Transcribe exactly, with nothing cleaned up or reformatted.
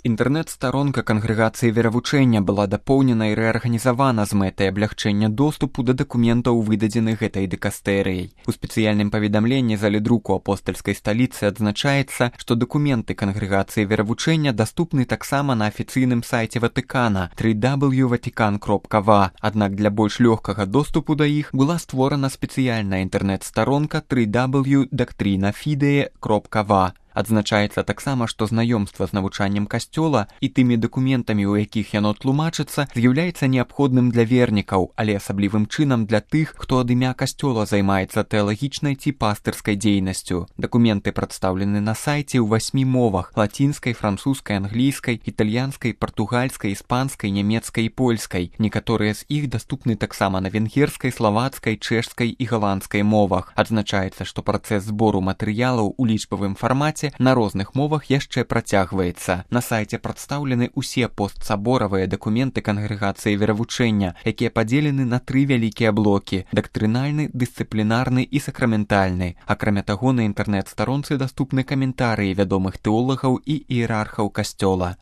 Інтэрнэт-старонка кангрэгацыі веравучэння была дапоўнена і рэарганізавана з мэтай аблягчэння доступу да дакументаў, выдадзеных гэтай дыкастэрыяй. У спецыяльным паведамленні залі друку апостальскай сталіцы адзначаецца, што дакументы кангрэгацыі веравучэння даступны таксама на афіцыйным сайце Ватыкана тры дабл ю ватикан кропка ва, аднак для больш лёгкага доступу да іх была створана спецыяльная інтэрнэт-старонка тры дабл ю дактрина фідее кропка ва. Адзначаецца таксама, што знаёмства з навучаннем касцёла і тымі дакументамі, у якіх яно тлумачыцца, з'яўляецца неабходным для вернікаў, але асаблівым чынам для тых, хто ад імя касцёла займаецца тэалагічнай ці пастырскай дзейнасцю. Дакументы прадстаўлены на сайце ў васьмі мовах: лацінскай, французскай, англійскай, італьянскай, партугальскай, іспанскай, нямецкай і польскай. Некаторыя з іх даступны таксама на венгерскай, славацкай, чэшскай і галандскай мовах. Адзначаецца, што працэс збору матэрыялаў у лічбавым фармаце на розных мовах яшчэ працягваецца. На сайце прадстаўлены ўсе постсаборавыя дакументы кангрэгацыі веравучэння, якія падзелены на тры вялікія блокі: дактрынальны, дысцыплінарны і сакраментальны. Акрамя таго, на інтэрнэт-старонцы даступны каментарыі вядомых тэолагаў і іерархаў касцёла.